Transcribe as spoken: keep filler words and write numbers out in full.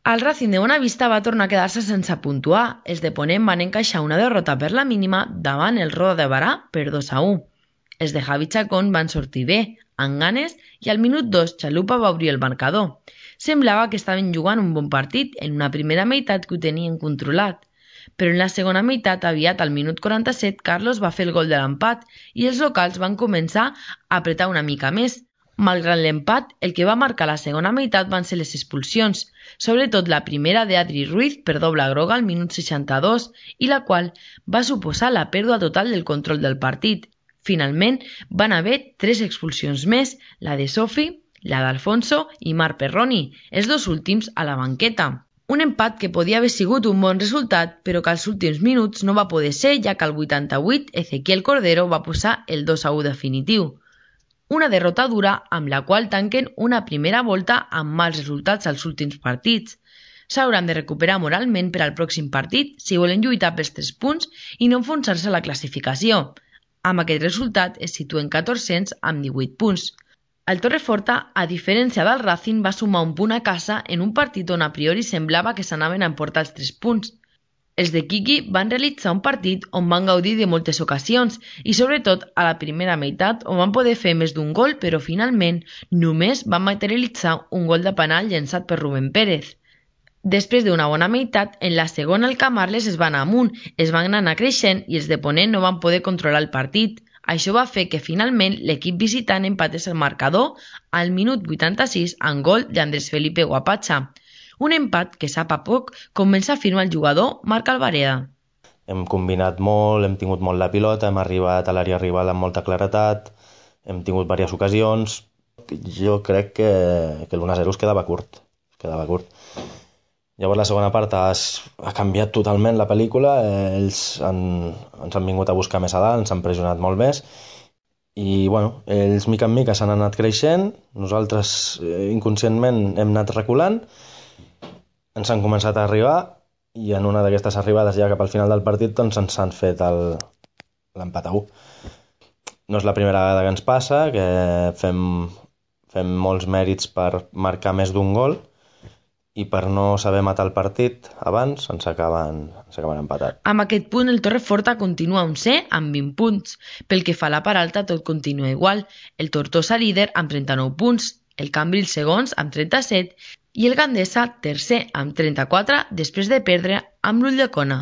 El Racing de Bonavista va tornar a quedar-se sense puntuar. Els de Ponent van encaixar una derrota per la mínima davant el Roda de Barà per dos a u. Els de Javi Chacón van sortir bé, amb ganes, i al minut dos Chalupa va obrir el marcador. Semblava que estaven jugant un bon partit en una primera meitat que ho tenien controlat. Però en la segona meitat, aviat al minut quaranta-set, Carlos va fer el gol de l'empat i els locals van començar a apretar una mica més. Malgrat l'empat, el que va marcar la segona meitat van ser les expulsions, sobretot la primera d'Adri Ruiz per doble groga al minut seixanta-dos i la qual va suposar la pèrdua total del control del partit. Finalment, van haver tres expulsions més, la de Sofi, la d'Alfonso i Marc Perroni, els dos últims a la banqueta. Un empat que podia haver sigut un bon resultat, però que als últims minuts no va poder ser, ja que al vuitanta-vuit Ezequiel Cordero va posar el dos a u definitiu. Una derrota dura amb la qual tanquen una primera volta amb mals resultats als últims partits. S'hauran de recuperar moralment per al pròxim partit si volen lluitar pels tres punts i no enfonsar-se a la classificació. Amb aquest resultat es situen catorzens amb divuit punts. El Torreforta, a diferència del Racing, va sumar un punt a casa en un partit on a priori semblava que s'anaven a emportar els tres punts. Els de Quiqui van realitzar un partit on van gaudir de moltes ocasions i sobretot a la primera meitat on van poder fer més d'un gol però finalment només van materialitzar un gol de penal llençat per Rubén Pérez. Després d'una bona meitat, en la segona el Camarles es va anar amunt, es van anar creixent i els de Ponent no van poder controlar el partit. Això va fer que finalment l'equip visitant empatés el marcador al minut vuitanta-sis amb gol d'Andrés Felipe Guapacha. Un empat que sap a poc comença a firmar el jugador Marc Alvareda. Hem combinat molt, hem tingut molt la pilota, hem arribat a l'àrea rival amb molta claretat, hem tingut diverses ocasions. Jo crec que, que l'u a zero es quedava curt. Es quedava curt. Llavors la segona part has, ha canviat totalment la pel·lícula, ells han, ens han vingut a buscar més a dalt, ens han pressionat molt més i bueno, ells mica en mica s'han anat creixent, nosaltres eh, inconscientment hem anat reculant, ens han començat a arribar i en una d'aquestes arribades ja cap al final del partit doncs ens han fet l'empat a u. No és la primera vegada que ens passa, que fem, fem molts mèrits per marcar més d'un gol i per no saber matar el partit abans ens acaben, ens acaben empatat. Amb aquest punt el Torreforta continua un C amb vint punts. Pel que fa a la part alta tot continua igual. El Tortosa líder amb trenta-nou punts, el Cambrils segons amb trenta-set i el Gandesa tercer amb trenta-quatre després de perdre amb l'Ulldecona.